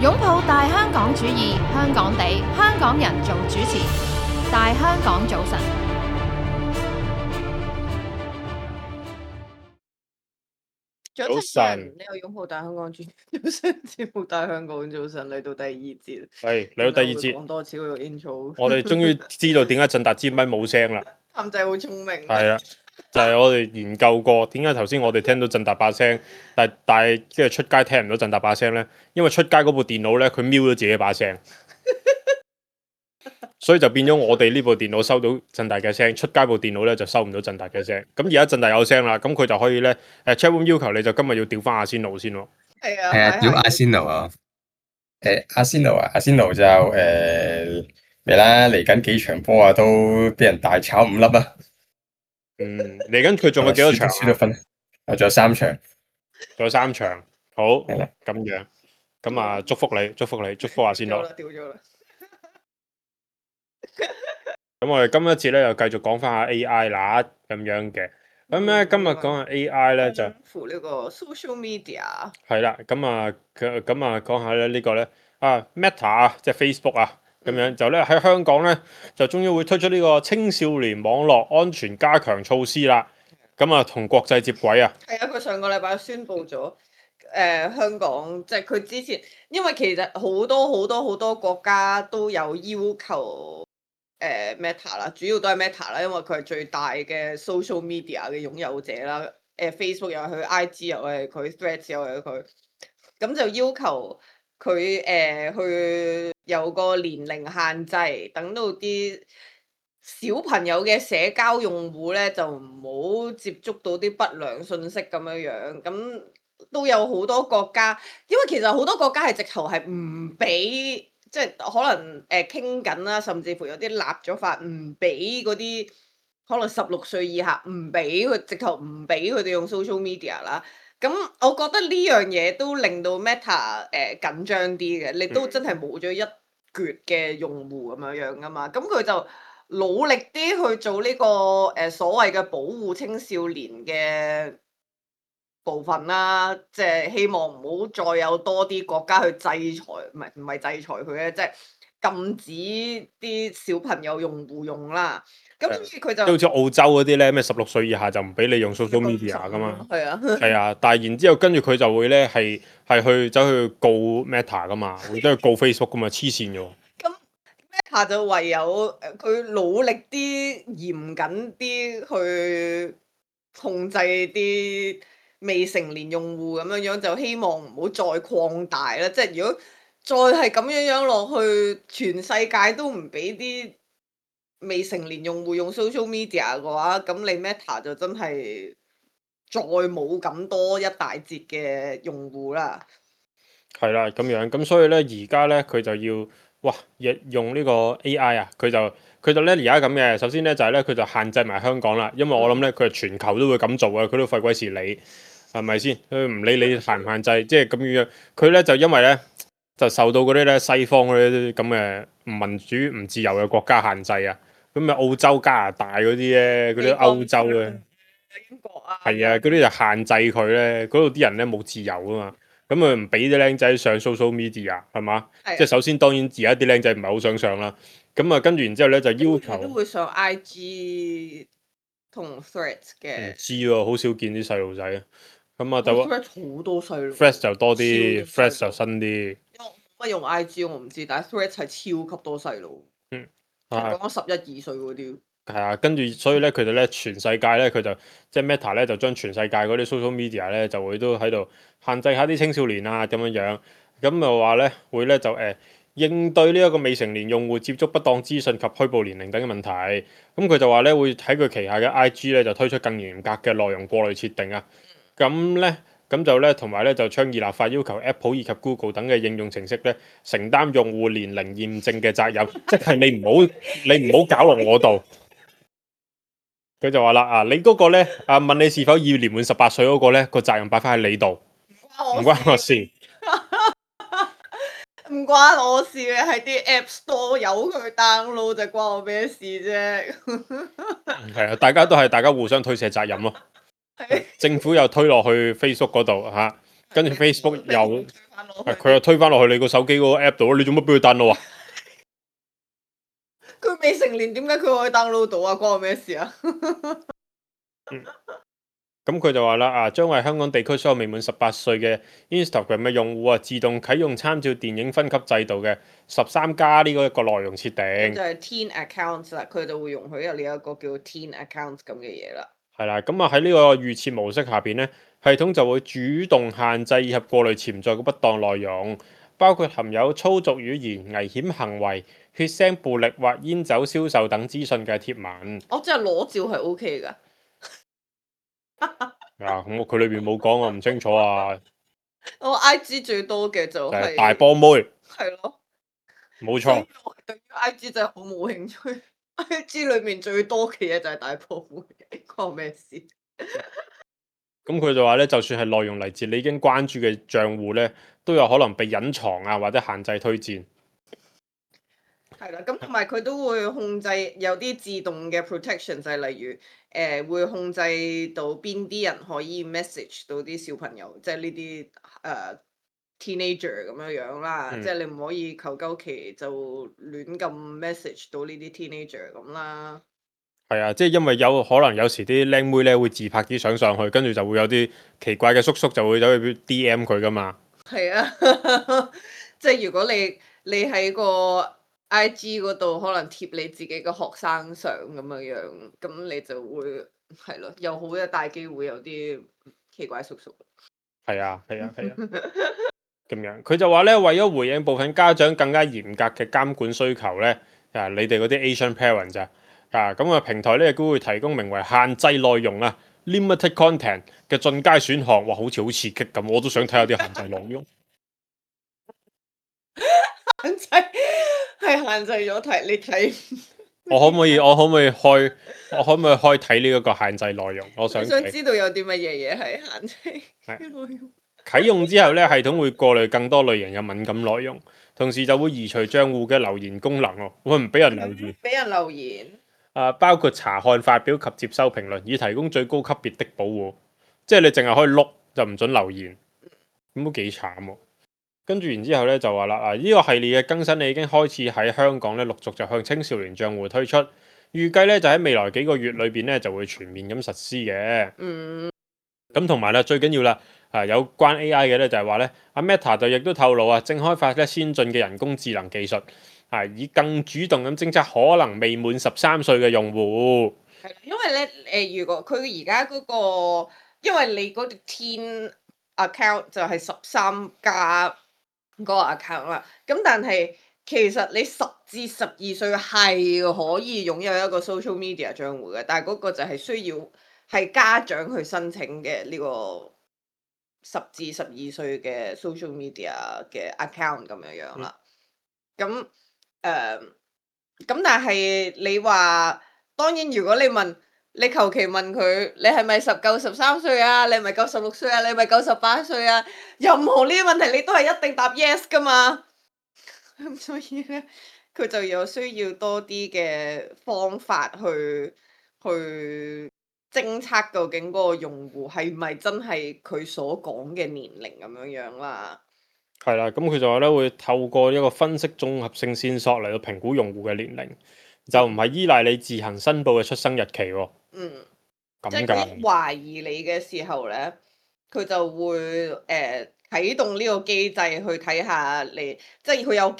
擁抱大香港主義，香港地，香港人做主持。大香港早晨，早晨，你有擁抱大香港主早晨，節目大香港早晨嚟到第二節，係嚟到第二節，講多次嗰個 intro。我哋終於知道點解振達支咪冇聲啦。譚仔好聰明。係啊，就係我哋研究過點解頭先我哋聽到振達把聲，但係跟住出街聽唔到振達把聲咧，因為出街嗰部電腦咧佢瞄咗自己把聲，所以就變咗我哋呢部電腦收到振達嘅聲，出街部電腦咧就收唔到振達嘅聲。咁而家振達有聲啦，咁佢就可以咧chatroom 要求你就今日要調翻阿仙奴先喎。係啊，係啊，屌阿仙奴啊！阿仙奴就嚟啦，嚟緊幾場波啊，都俾人大炒5粒啊！嚟緊佢仲有幾多場？輸到分，仲有3場，仲有3場。好，係啦，咁樣，咁啊，祝福你，祝福阿仙奴。掉咗啦。咁我哋今一節咧又繼續講翻下 AI 啦，咁樣嘅。咁咧今日講下 AI 咧就扶呢個 social media。係啦，咁啊講下咧呢個咧Meta 啊，即係 Facebook 啊，咁樣就咧喺香港咧就終於會推出呢個青少年網絡安全加強措施啦。咁啊同國際接軌啊。係啊，佢上個禮拜宣布咗，香港即係佢之前，因為其實好多國家都有要求。Meta 啦，主要都係 Meta 啦，因為佢係最大嘅 social media 嘅擁有者啦。Facebook 又係佢，IG 又係佢，Threads 又係佢，咁就要求佢去有個年齡限制，等到啲小朋友嘅社交用戶咧就唔好接觸到啲不良信息咁樣樣。咁都有好多國家，因為其實好多國家係直頭係唔俾。即係可能傾緊啦，甚至乎有啲立咗法唔俾嗰啲可能16歲以下唔俾佢，直頭唔俾佢哋用 social media 啦。咁我覺得呢樣嘢都令到 Meta 緊張啲嘅，你都真係冇咗一橛嘅用戶咁樣樣噶嘛。咁佢就努力啲去做呢個所謂嘅保護青少年嘅部分啦，即係希望唔好再有多啲國家去制裁，唔係制裁佢咧，即係禁止啲小朋友用戶用啦。咁佢就好似澳洲嗰啲咧，咩16歲以下就唔俾你用 social media 噶嘛。係啊，係啊，但係然之後跟住佢就會咧係去走去告 Meta 噶嘛，會走去告 Facebook 噶嘛，黐線嘅喎。咁 Meta 就唯有佢努力啲、嚴謹啲去控制啲未成年用戶咁樣樣，就希望唔好再擴大啦。即係如果再係咁樣樣落去，全世界都唔俾啲未成年用戶用 social media 嘅話，咁你 Meta 就真係再冇咁多一大截嘅用戶啦。係啦，咁樣咁所以咧，而家咧佢就要用呢個 AI 啊，佢就咧而家咁嘅。首先咧就係咧佢就限制埋香港啦，因為我諗咧佢係全球都會咁做啊，佢都費鬼事理，係咪先？佢唔理你限唔限制，即係咁樣。佢咧就因為咧就受到嗰啲咧西方嗰啲咁嘅唔民主、唔自由嘅國家限制啊。咁啊澳洲、加拿大嗰啲咧，嗰啲歐洲嘅英國啊，係啊，嗰啲就限制佢咧，嗰度啲人咧冇自由啊嘛。咁佢唔俾啲僆仔上 social media 係嘛？即係首先當然而家啲僆仔唔係好想上啦。咁啊跟住然之後咧就要求都會上 IG 同 Threads 嘅。唔知喎，好少見啲細路仔啊。咁啊就 Threads 好多細路。Threads 就多啲 ，Threads 就新啲。乜用 IG 我唔知，但係 Threads 係超級多細路。講緊11、2歲嗰啲。係啊，跟住所以咧，佢哋咧全世界咧，佢就即係 Meta 咧，就將全世界嗰啲 social media 咧，就會都喺度限制下啲青少年啊咁樣樣。咁就話咧會咧就應對呢一個未成年用戶接觸不當資訊及虛報年齡等嘅問題。咁佢就話咧會喺佢旗下嘅 IG 咧就推出更嚴格嘅內容過濾設定啊。咁就咧同埋咧就倡議立法要求 Apple 以及 Google 等嘅應用程式咧承擔用戶年齡驗證嘅責任，即係你唔好搞落我度。佢就話啦你嗰個咧問你是否已年滿18歲嗰個咧個責任擺翻喺你度，唔關我事。唔關我事嘅，係啲 App Store 有佢 download 就關我咩事啫。係啊，大家互相推卸責任咯。政府又推落去 Facebook 嗰度嚇，跟住 Facebook 又推返落去佢又推翻落去你個手機嗰個 app 度，你做乜俾佢 download 啊？佢未成年，點解佢可以 download 到啊？關我咩事啊？咁佢就話啦，將為香港地區所有未滿18歲嘅 Instagram 嘅用戶自動啟用參照電影分級制度嘅13+呢個一個內容設定。就係 Teen Accounts 啦，佢就會容許有呢一個叫 Teen Accounts 咁嘅嘢啦。係啦，咁喺呢個預設模式下邊呢，系統就會主動限制以及過濾潛在嘅不當內容，包括含有粗俗語言、危險行為、血腥暴力或煙酒銷售等資訊嘅貼文。我即係裸照係 OK 㗎。咁佢裏邊冇講，我唔清楚啊。我 IG 最多嘅就係大波妹。係咯，冇錯。我對於 IG 真係好冇興趣。IG 裏面最多嘅嘢就係大波妹，關我咩事？咁佢就話咧，就算係內容嚟自你已經關注嘅賬戶咧，都有可能被隱藏啊，或者限制推薦。係啦，咁同埋佢都會控制有啲自動嘅 protection，就係例如會控制到邊啲人可以 message 到啲小朋友，即係呢啲teenager 咁樣啦，即係你唔可以求鳩其就亂咁 message 到呢啲 teenager 咁啦。係啊，即係因為有可能有時啲靚妹咧會自拍啲相上去，跟住就會有啲奇怪嘅叔叔就會走去 DM 佢噶嘛。係啊，即係如果你喺個 IG 嗰度可能貼你自己嘅學生相咁樣，咁你就會係咯，有好大機會有啲奇怪叔叔。係啊，咁樣佢就話咧，為咗回應部分家長更加嚴格嘅監管需求咧，你哋嗰啲 Asian parents 咁啊平台咧亦都會提供名為限制內容limited content 嘅進階選項。哇，好似好刺激咁，我都想睇下啲限制內容。限制係限制咗睇，你睇我可唔可以開睇呢一個限制內容？我想知道有啲乜嘢係限制內容。啟用之後咧，系統會過濾更多類型嘅敏感內容，同時就會移除賬戶嘅留言功能喎。會唔俾人留言？俾人留言。包括查看、發表及接收評論，以提供最高級別的保護。即係你淨係可以碌，就唔准留言，咁都幾慘喎。跟住然之後咧就話啦，呢個系列嘅更新你已經開始喺香港咧陸續就向青少年賬戶推出，預計咧就喺未來幾個月裏邊咧就會全面咁實施嘅。咁同埋咧最緊要啦，有關 AI 嘅咧就係話咧，阿 Meta 就亦都透露正開發咧先進嘅人工智能技術，以更主動咁偵測可能未滿13歲嘅用戶。係，因為咧如果佢而家嗰個，因為你嗰條 Teen account 就係13+嗰個 account 啦，咁但係其實你10至12歲係可以擁有一個 social media 賬戶嘅，但係嗰個就係需要係家長去申請嘅呢個10至12歲嘅 social media 嘅 account 咁樣啦。咁但係你話，當然如果你求其問佢，你係咪夠13歲啊？你係咪夠16歲啊？你係咪夠18歲啊？任何呢啲問題你都係一定答 yes 噶嘛。咁所以咧，佢就有需要多啲嘅方法去偵測究竟嗰個用戶係咪真係佢所講嘅年齡咁樣啦。係啦，咁佢就話咧會透過一個分析綜合性線索嚟到評估用戶嘅年齡，就唔係依賴你自行申報嘅出生日期喎。即係佢懷疑你嘅時候咧，佢就會啟動呢個機制去睇下你，即係佢有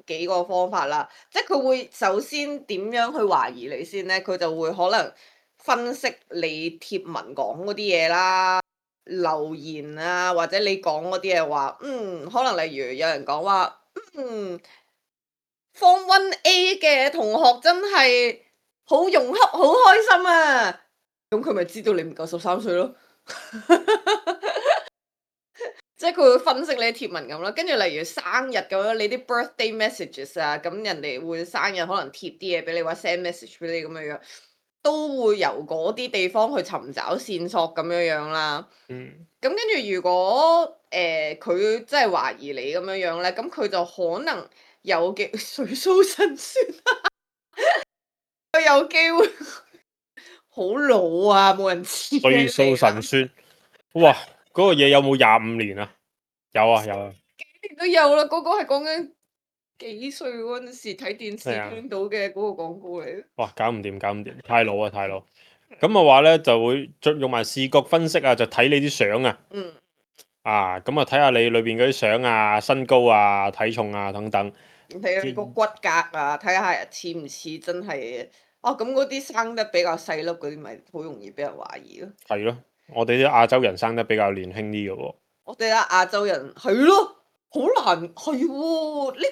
幾個方法啦。即係佢會首先點樣去懷疑你先咧？佢就會可能分析你貼文講嗰啲嘢啦、留言啊，或者你講嗰啲嘢話，可能例如有人講話Form 1A 嘅同學真係好融洽，好開心啊！咁佢咪知道你唔夠13歲咯？即係佢會分析你啲貼文咁啦，跟住例如生日咁樣，你啲 birthday messages 啊，咁人哋會生日可能貼啲嘢俾你，或者 send message 俾你咁樣，都會由嗰啲地方去尋找線索咁樣啦。咁跟住如果佢真係懷疑你咁樣咧，咁佢就可能有機水蘇神算佢有機會好老啊，冇人知。水蘇神算，哇！嗰個嘢有冇25年啊？有啊有啊。幾年都有啦，嗰個係講緊幾歲嗰陣時睇電視係啊聽到嘅嗰個廣告嚟。哇，搞唔掂，搞唔掂，太老啊，太老。咁嘅話咧，就會用埋視覺分析啊，就睇你啲相啊。嗯，啊，咁啊睇下你裏邊嗰啲相啊、身高啊、體重啊等等。睇下你個骨骼啊，睇下似唔似真係哦。咁嗰啲生得比較細粒嗰啲，咪好容易俾人懷疑咯。係咯，我哋啲亞洲人生得比較年輕啲嘅喎。我哋啦亞洲人係咯，好難係喎呢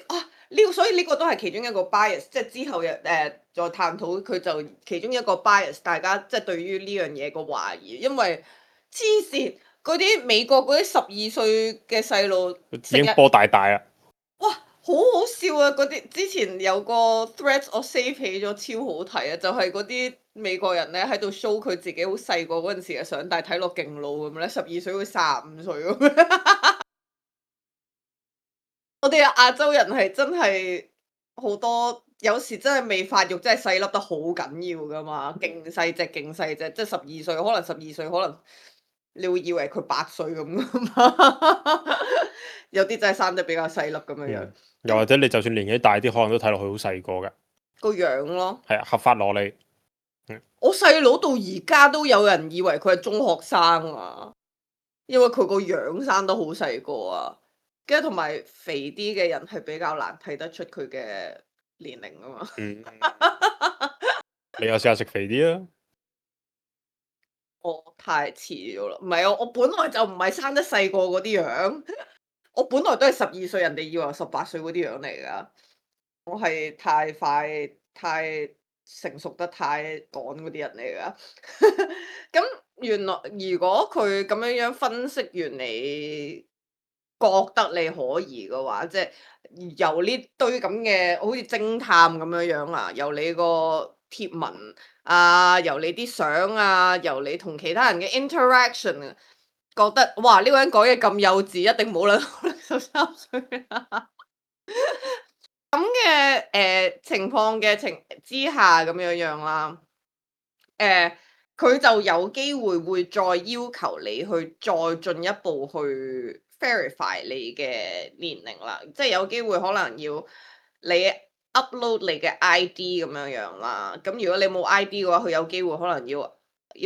個，所以呢個都係其中一個 bias，即係之後再探討佢就其中一個 bias，大家即係對於呢樣嘢個懷疑，因為黐線嗰啲美國嗰啲12歲嘅細路已經波大大啦。哇，好好笑啊！嗰啲之前有個 thread 我 save 起咗，超好睇啊！就係嗰啲美國人咧喺度 show 佢自己好細個嗰陣時嘅相，但係睇落勁老咁咧，12歲會35歲咁樣。我哋亞洲人係真係好多，有時真係未發育，真係細粒得好緊要噶嘛，勁細隻，勁細隻，即係12歲，可能12歲，可能你會以為佢8歲咁噶嘛。有啲真係生得比較細粒咁樣樣。又或者你就算年紀大啲，可能都睇落去好細個㗎。個樣咯，係啊，合法蘿莉。我細佬到而家都有人以為佢係中學生啊，因為佢個樣生得好細個啊，跟住同埋肥啲嘅人係比較難睇得出佢嘅年齡啊嘛。你又試下食肥啲啊？我太遲咗啦，唔係我本來就唔係生得細個嗰啲樣，我本來都係12歲，人哋以為我18歲嗰啲樣嚟噶。我係太快、太成熟得太趕嗰啲人嚟噶。咁原來如果佢咁樣分析完你覺得你可疑嘅話，即係由呢堆咁嘅好似偵探咁樣啊，由你個貼文啊，由你啲相啊，由你同其他人嘅 interaction 啊，覺得哇呢個人講嘢咁幼稚，一定冇可能13歲啊！咁嘅情況嘅之下咁樣樣啦，佢就有機會會再要求你去再進一步去 verify 你嘅年齡啦，即係有機會可能要你 upload 你嘅 ID 咁樣樣啦。咁如果你冇 ID 嘅話，佢有機會可能要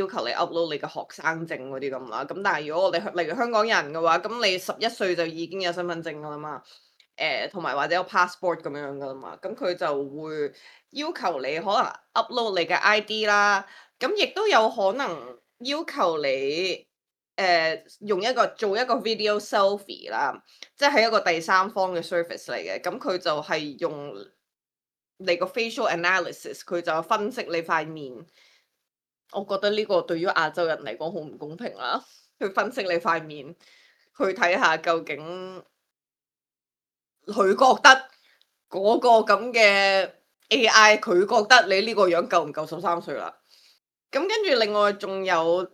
求你 upload 你嘅學生證嗰啲咁啦。咁但係如果我哋例如香港人嘅話，咁你11歲就已經有身份證噶啦嘛。同埋或者有 passport 咁樣噶啦嘛，咁佢就會要求你可能 upload 你嘅 ID 啦，咁亦都有可能要求你做一個 video selfie 啦，即係一個第三方嘅 service 嚟嘅，咁佢就係用你個 facial analysis，佢就分析你塊面。我覺得呢個對於亞洲人嚟講好唔公平啦，去分析你塊面，去睇下究竟。佢覺得嗰個咁嘅 AI，佢覺得你呢個樣夠唔夠13歲啦？咁跟住另外仲有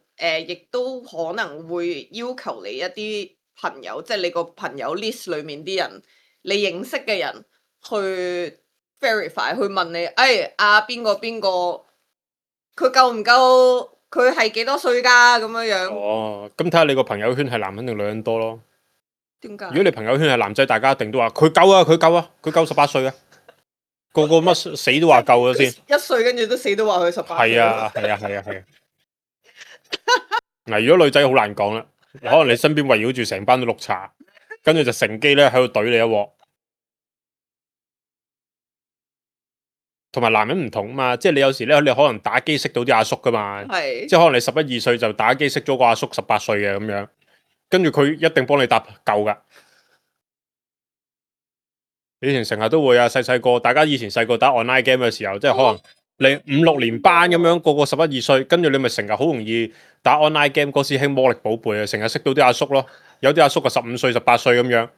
亦都可能會要求你一啲朋友，即係你個朋友 list 裡面啲人，你認識嘅人去 verify，去問你，邊個邊個，佢夠唔夠？佢係幾多歲㗎？咁樣樣。哦，咁睇下你個朋友圈係男人定女人多咯。點解？如果你朋友圈係男仔，大家一定都話佢夠啊，佢夠啊，佢夠18歲啊，個個乜死都話夠咗先。1歲跟住都死都話佢18歲。係啊係啊係啊係啊。嗱，如果女仔好難講啦，可能你身邊圍繞住成班都綠茶，跟住就乘機咧喺度懟你一鑊。同埋男人唔同啊嘛，即係你有時咧，你可能打機識到啲阿叔噶嘛，係即係可能你11、2歲就打機識咗個阿叔18歲嘅咁樣，跟住佢一定幫你答夠噶。以前成日都會啊，細個大家以前細個打 online game 嘅時候，即係可能你5、6年班咁樣，個個11、2歲，跟住你咪成日好容易打 online game。嗰時興魔力寶貝啊，成日識到啲阿叔咯，有啲阿叔啊15歲、18歲咁樣，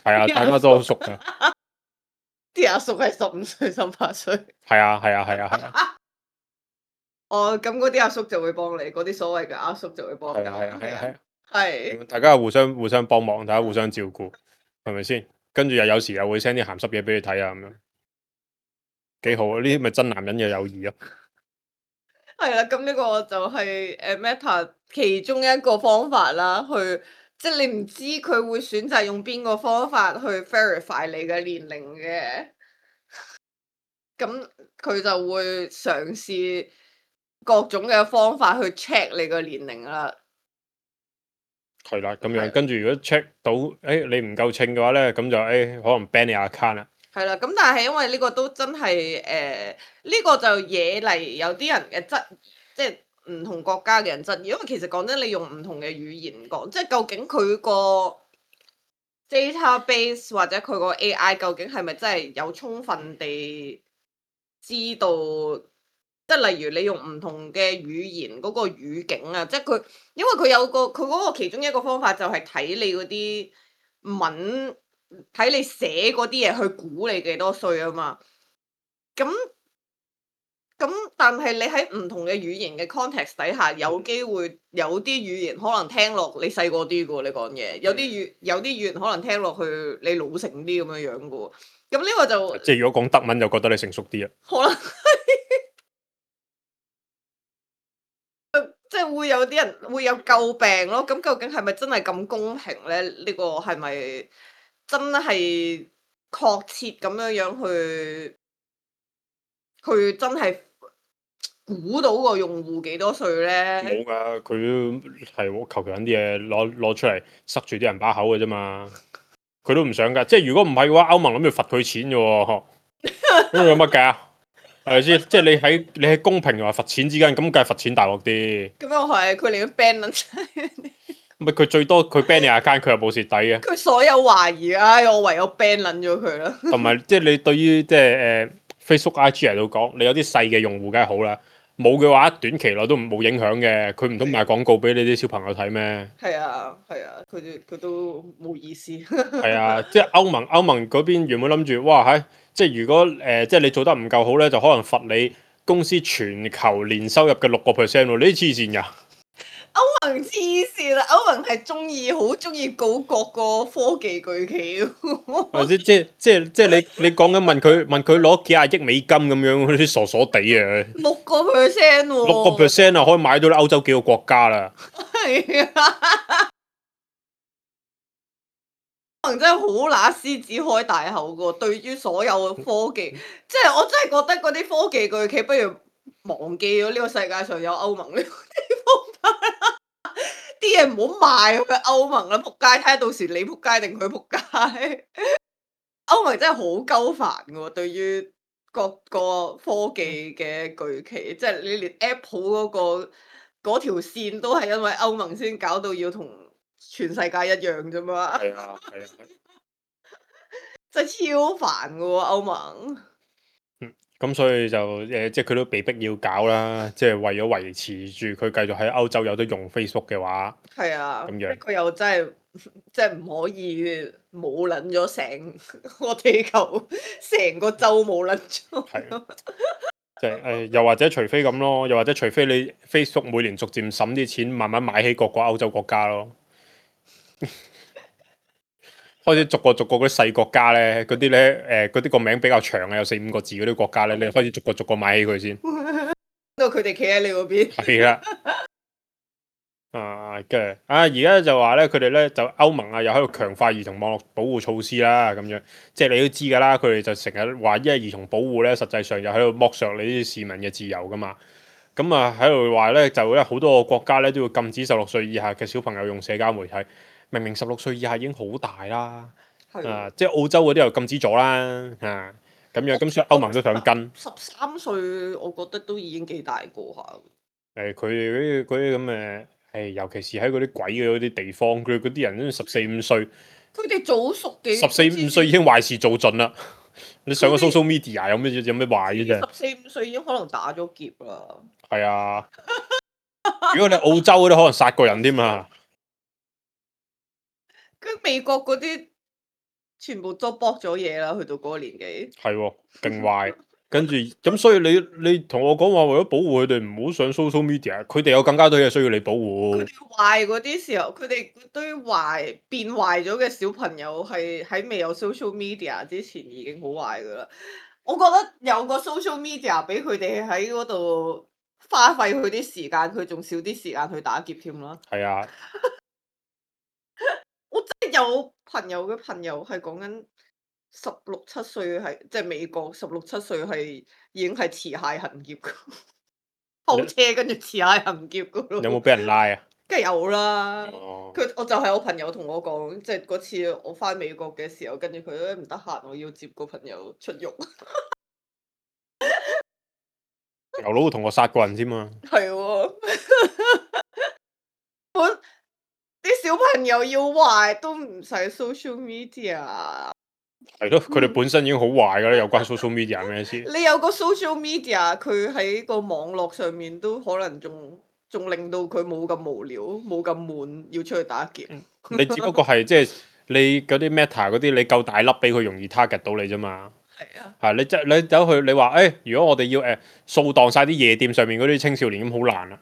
係啊，大家都好熟噶。啲阿叔係15歲、18歲。係啊係啊係啊係啊。哦，咁嗰啲阿叔就會幫你，嗰啲所謂嘅阿叔就會幫你。係啊係啊係啊係啊。係。大家互相幫忙，大家互相照顧，係咪先？跟住又有時又會 send 啲鹹濕嘢俾你睇啊，咁樣幾好啊！呢啲咪真男人嘅友誼咯。係啦，咁呢個就係Meta 其中一個方法啦，即係你唔知佢會選擇用邊個方法去 verify 你嘅年齡嘅，咁佢就會嘗試各種嘅方法去 check 你個年齡啦。係啦，咁樣係跟住如果 check 到你唔夠稱嘅話咧，咁就可能 ban 你 account 啦。係啦，咁但係因為呢個都真係呢個就惹嚟有啲人嘅即係唔同國家嘅人質疑，因為其實講真，你用唔同嘅語言講，即係究竟佢個 database 或者佢個 AI 究竟係咪真係有充分地知道？即係例如你用唔同嘅語言嗰個語境啊，即係佢，因為佢嗰個其中一個方法就係睇你嗰啲文，睇你寫嗰啲嘢去估你幾多歲啊嘛。咁但係你喺唔同嘅語言嘅 context 底下，有機會有啲語言可能聽落你細個啲嘅喎，你講嘢，有啲語言可能聽落去你老成啲咁樣樣嘅喎。咁呢個就即係如果講德文就覺得你成熟啲啊。可能即係會有啲人會有詬病咯。咁究竟係咪真係咁公平咧？呢個係咪真係確切咁樣樣去真係估到個用戶幾多歲咧？冇㗎，佢係求其揾啲嘢攞出嚟塞住啲人把口嘅啫嘛。佢都唔想㗎，即係如果唔係嘅話，歐盟諗住罰佢錢嘅喎，咁有乜計啊？係咪先？即係你喺公平同埋罰錢之間，咁梗係罰錢大鑊啲。咁又係，佢連 ban 撚晒，咪佢最多佢 ban 你 account，佢又冇蝕底嘅。佢所有懷疑，我唯有 ban 撚咗佢啦。同埋即係你對於即係Facebook、IG 嚟到講，你有啲細嘅用戶梗係好啦。冇嘅話，短期內都冇影響嘅。佢唔通賣廣告俾你啲小朋友睇咩？係啊，佢都冇意思。係啊，即係歐盟嗰邊原本諗住，哇即係如果即係你做得唔夠好咧，就可能罰你公司全球年收入嘅6%喎。你啲黐線㗎！歐盟黐線啦，歐盟係好中意告各個科技巨企喎。或者即係你講緊問佢攞幾廿億美金咁樣，嗰啲傻傻地啊6%喎。6%啊，可以買到歐洲幾個國家啦。係啊，可能真係好乸獅子開大口噶。對於所有科技，即係我真係覺得嗰啲科技巨企不如忘記咗呢個世界上有歐盟呢個地方啦。啲嘢唔好賣去歐盟啦，仆街！睇下到時你仆街定佢仆街。歐盟真係好鳩煩噶喎，對於各個科技嘅巨企，即係你連 Apple 嗰條線都係因為歐盟先搞到要同全世界一樣啫嘛。係啊，係啊。真係超煩噶喎，歐盟。咁所以就即係佢都被逼要搞啦，即係為咗維持住佢繼續喺歐洲有得用 Facebook 嘅話，係啊，咁樣佢又真係即係唔可以冇撚咗成個地球，成個洲冇撚咗。係即係又或者除非咁咯，又或者除非你 Facebook 每年逐漸審啲錢，慢慢買起各個歐洲國家咯。開始逐個嗰啲細國家咧，嗰啲咧嗰啲個名比較長嘅，有4、5個字嗰啲國家咧，你開始逐個買起佢先。到佢哋企喺你嗰邊。係啦。跟住而家就話咧，佢哋咧就歐盟啊，又喺度強化兒童網絡保護措施啦，咁樣即係你都知㗎啦。佢哋就成日話，因為兒童保護咧，實際上又喺度剝削你啲市民嘅自由㗎嘛。咁啊喺度話咧，就咧好多個國家咧都要禁止16歲以下嘅小朋友用社交媒體。明明16歲以下已經好大啦，即係澳洲嗰啲又禁止咗啦，咁樣咁所以歐盟都想跟。13歲，我覺得都已經幾大個下。佢哋嗰啲咁嘅，尤其是喺嗰啲鬼嘅嗰啲地方，佢嗰啲人都14、5歲，佢哋早熟幾14、5歲已經壞事做盡啦。你上個 social media 有咩壞嘅啫？14、5歲已經可能打咗劫啦。係啊，如果你澳洲嗰啲可能殺過人添啊。跟美國嗰啲全部都搏咗嘢啦，去到嗰個年紀。係喎，勁壞。跟住咁，所以你同我講話為咗保護佢哋唔好上 social media，佢哋有更加多嘢需要你保護。佢哋壞嗰啲時候，佢哋堆變壞咗嘅小朋友係喺未有 social media 之前已經好壞噶啦。我覺得有個 social media 俾佢哋喺嗰度花費佢啲時間，佢仲少啲時間去打劫添啦。係啊，我真係有朋友嘅朋友係講緊16、17歲係即係美國16、17歲係已經係持械行劫㗎，偷車跟住持械行劫㗎咯。有冇俾人拉啊？梗係有啦。哦，我就係我朋友同我講，即係嗰次我翻美國嘅時候，跟住佢都唔得閒，我要接個朋友出獄。牛佬會同我殺過人添嘛？係喎，啲小朋友要壞都唔使 social media。係咯，佢哋本身已經好壞㗎啦，有關 social media 咩事？你有個 social media，佢喺個網絡上面都可能仲令到佢冇咁無聊，冇咁悶，要出去打劫。你只不過係即係你嗰啲 Meta 嗰啲，你夠大粒俾佢容易 target 到你啫嘛。係啊，係你走去你話如果我哋要掃蕩晒啲夜店上面嗰啲青少年咁好難啊！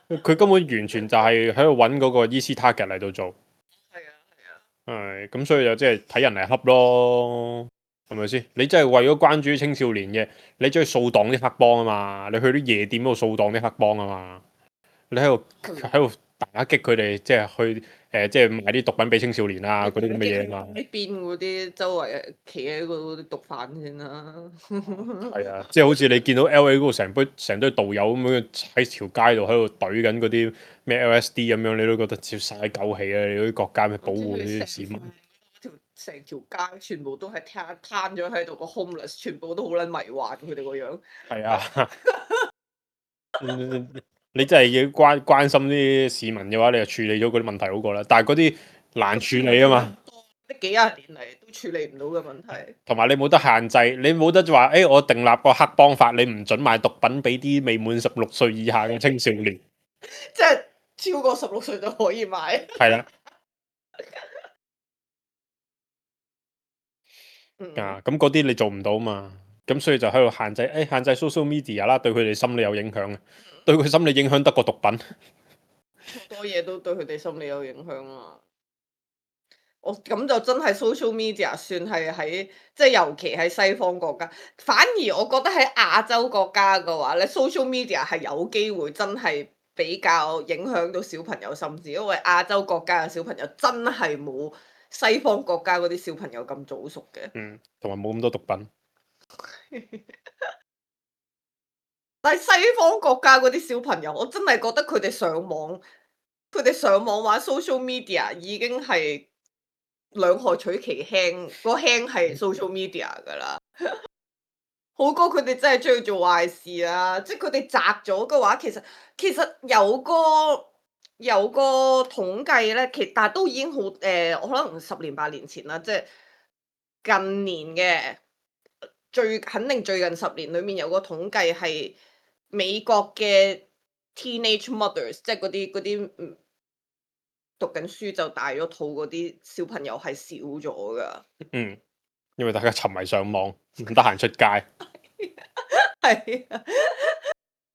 佢根本完全就係喺度揾嗰個 easy target 嚟到做。係啊，係咁，所以就即係睇人嚟恰咯，係咪先？你真係為咗關注青少年嘅，你走去掃蕩啲黑幫啊嘛，你去啲夜店嗰度掃蕩啲黑幫啊嘛，你喺度打擊佢哋，即係去即係賣啲毒品俾青少年啊嗰啲咁嘅嘢啊嘛。呢邊嗰啲周圍企喺嗰啲毒販先啦。係啊，即係好似你見到 LA 嗰度成堆道友咁樣喺條街度喺度懟緊嗰啲咩 LSD 咁樣，你都覺得接晒狗氣啊！你嗰啲國家咪保護啲市民。成條街全部都係攤咗喺度個 homeless，全部都好撚迷幻佢哋個樣。係啊，你真係要關心啲市民嘅話，你就處理咗嗰啲問題好過啦。但係嗰啲難處理啊嘛，呢幾廿年嚟都處理唔到嘅問題。同埋你冇得限制，你冇得話我訂立個黑幫法，你唔准賣毒品俾啲未滿16歲以下嘅青少年。即係超過16歲就可以買。係啦。咁嗰啲你做唔到嘛，咁所以就喺度限制，限制 social media 啦，對佢哋心理有影響嘅，對佢心理影響得過毒品。好多嘢都對佢哋心理有影響啊！咁就真係 social media 算係喺即係尤其喺西方國家，反而我覺得喺亞洲國家嘅話咧，social media 係有機會真係比較影響到小朋友心智，因為亞洲國家嘅小朋友真係冇西方國家嗰啲小朋友咁早熟嘅。同埋冇咁多毒品。但係西方國家嗰啲小朋友，我真係覺得佢哋上網玩 social media 已經係兩害取其輕，個輕係 social media 㗎啦。好過佢哋真係中意做壞事啊！即係佢哋宅咗嘅話，其實有個統計咧，但係都已經好我可能10年8年前啦，即係近年嘅肯定最近10年裡面有個統計係美國嘅 teenage mothers，即係嗰啲讀緊書就大咗肚嗰啲小朋友係少咗噶。因為大家沉迷上網，唔得閒出街。係啊，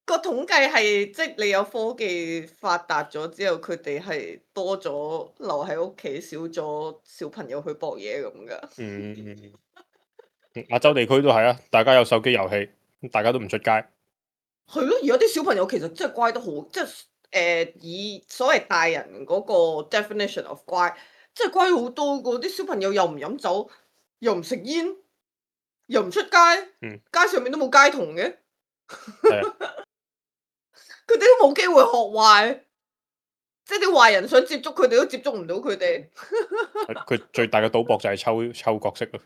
個統計係即係你有科技發達咗之後，佢哋係多咗留喺屋企，少咗小朋友去搏嘢咁噶。亞洲地區都係啊，大家有手機遊戲，大家都唔出街。係咯，而家啲小朋友其實真係乖得好，即係以所謂大人嗰個 definition of 乖，真係乖好多個。啲小朋友又唔飲酒，又唔食煙，又唔出街，街上面都冇街童嘅，佢哋都冇機會學壞，即係啲壞人想接觸佢哋都接觸唔到佢哋。佢最大嘅賭博就係抽角色咯。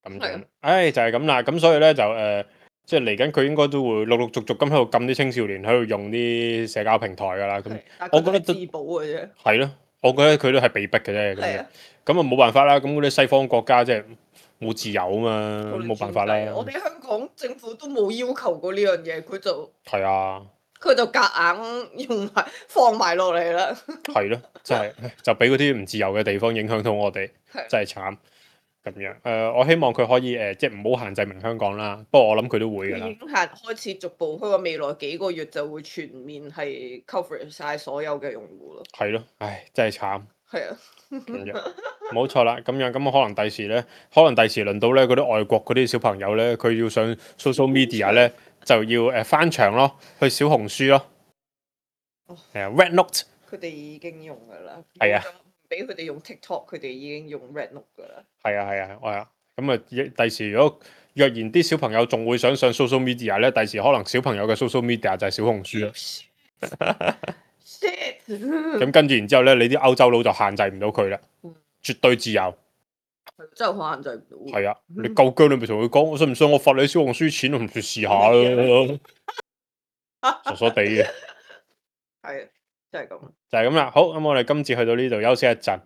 咁樣，就係咁啦。咁所以咧就即係嚟緊佢應該都會陸陸續續咁喺度禁啲青少年喺度用啲社交平台噶啦。咁我覺得自保嘅啫。係咯，我覺得佢都係被逼嘅啫。咁啊冇辦法啦。咁嗰啲西方國家即係冇自由啊嘛，冇辦法啦。我哋香港政府都冇要求過呢樣嘢，佢就係啊，佢就夾硬放埋落嚟啦。係咯，真係就俾嗰啲唔自由嘅地方影響到我哋，真係慘。咁樣我希望佢可以即係唔好限制明香港啦。不過我諗佢都會㗎啦。已經開始逐步，佢話未來幾個月就會全面係 cover 晒所有嘅用戶咯。係咯，唉，真係慘。係啊。咁樣冇錯啦，咁樣咁可能第時咧，可能第時輪到咧嗰啲外國嗰啲小朋友咧，佢要上 social media 咧，就要翻牆咯，去小紅書咯，係啊 Red Note 佢哋已經用噶啦，係啊，唔俾佢哋用 TikTok，佢哋已經用 Red Note 噶啦。係啊，咁啊第時如果若然啲小朋友仲會想上 social media 咧，第時可能小朋友嘅 social media 就係小紅書啦。Shit！咁跟住然之後咧，你啲歐洲佬就限制唔到佢啦，絕對自由。真係好限制唔到。係啊，你夠姜你咪同佢講，我信唔信我罰你小紅書錢，我唔試試下咯，傻傻地嘅。係，真係咁。就係咁啦。好，咁我哋今次去到呢度休息一陣。